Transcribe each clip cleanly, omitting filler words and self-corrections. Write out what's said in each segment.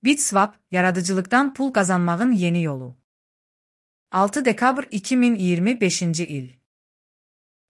BitSwap, yaradıcılıqdan pul qazanmağın yeni yolu. 6 dekabr 2025-ci il.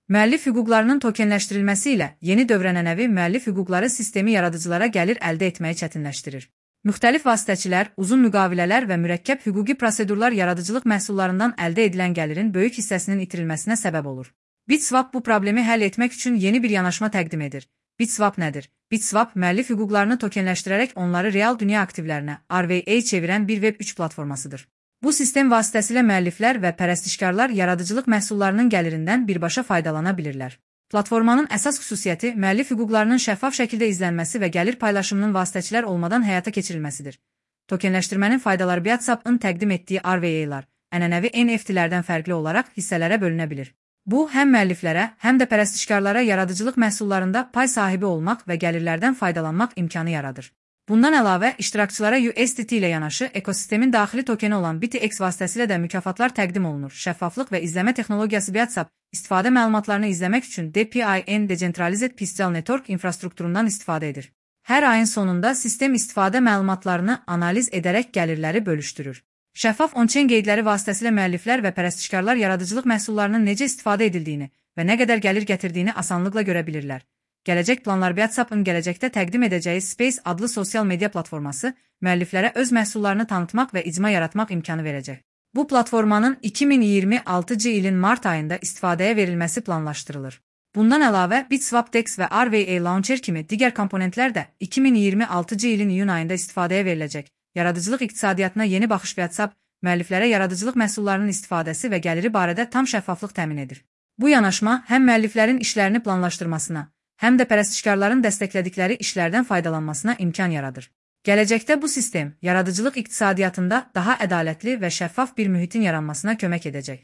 Müəllif hüquqlarının tokenləşdirilməsi ilə yeni dövrənənəvi müəllif hüquqları sistemi yaradıcılara gəlir əldə etməyi çətinləşdirir. Müxtəlif vasitəçilər, uzun müqavilələr və mürəkkəb hüquqi prosedurlar yaradıcılıq məhsullarından əldə edilən gəlirin böyük hissəsinin itirilməsinə səbəb olur. BitSwap bu problemi həll etmək üçün yeni bir yanaşma təqdim edir. BitSwap nədir? BitSwap, müəllif hüquqlarını tokenləşdirərək onları real dünya aktivlərinə, RWA çevirən bir Web3 platformasıdır. Bu sistem vasitəsilə müəlliflər və pərəstişkarlar yaradıcılıq məhsullarının gəlirindən birbaşa faydalana bilirlər. Platformanın əsas xüsusiyyəti müəllif hüquqlarının şəffaf şəkildə izlənməsi və gəlir paylaşımının vasitəçilər olmadan həyata keçirilməsidir. Tokenləşdirmənin faydaları BitSwap'ın təqdim etdiyi RWA-lar, ənənəvi NFT-lərdən fərqli olaraq hissələrə bölünə bilir. Bu, həm müəlliflərə, həm də pərəstişkarlara yaradıcılıq məhsullarında pay sahibi olmaq və gəlirlərdən faydalanmaq imkanı yaradır. Bundan əlavə, iştirakçılara USDT ilə yanaşı ekosistemin daxili tokeni olan BitX vasitəsilə də mükafatlar təqdim olunur. Şəffaflıq və izləmə texnologiyası BitSwap, istifadə məlumatlarını izləmək üçün DPIN Decentralized Physical Network infrastrukturundan istifadə edir. Hər ayın sonunda sistem istifadə məlumatlarını analiz edərək gəlirləri bölüşdürür. Şəffaf on-chain qeydləri vasitəsilə müəlliflər və pərəstişkarlar yaradıcılıq məhsullarının necə istifadə edildiyini və nə qədər gəlir gətirdiyini asanlıqla görə bilirlər. Gələcək planlar BitSwap'ın gələcəkdə təqdim edəcəyi Space adlı sosial media platforması müəlliflərə öz məhsullarını tanıtmaq və icma yaratmaq imkanı verəcək. Bu platformanın 2026-cı ilin mart ayında istifadəyə verilməsi planlaşdırılır. Bundan əlavə, BitSwap DEX və RWA Launcher kimi digər komponentlər də 2026-cı ilin iyun ayında istifadəyə veriləcək. Yaradıcılıq iqtisadiyyatına yeni baxış BitSwap, müəlliflərə yaradıcılıq məhsullarının istifadəsi və gəliri barədə tam şəffaflıq təmin edir. Bu yanaşma həm müəlliflərin işlərini planlaşdırmasına, həm də pərəstişkarların dəstəklədikləri işlərdən faydalanmasına imkan yaradır. Gələcəkdə bu sistem, yaradıcılıq iqtisadiyyatında daha ədalətli və şəffaf bir mühitin yaranmasına kömək edəcək.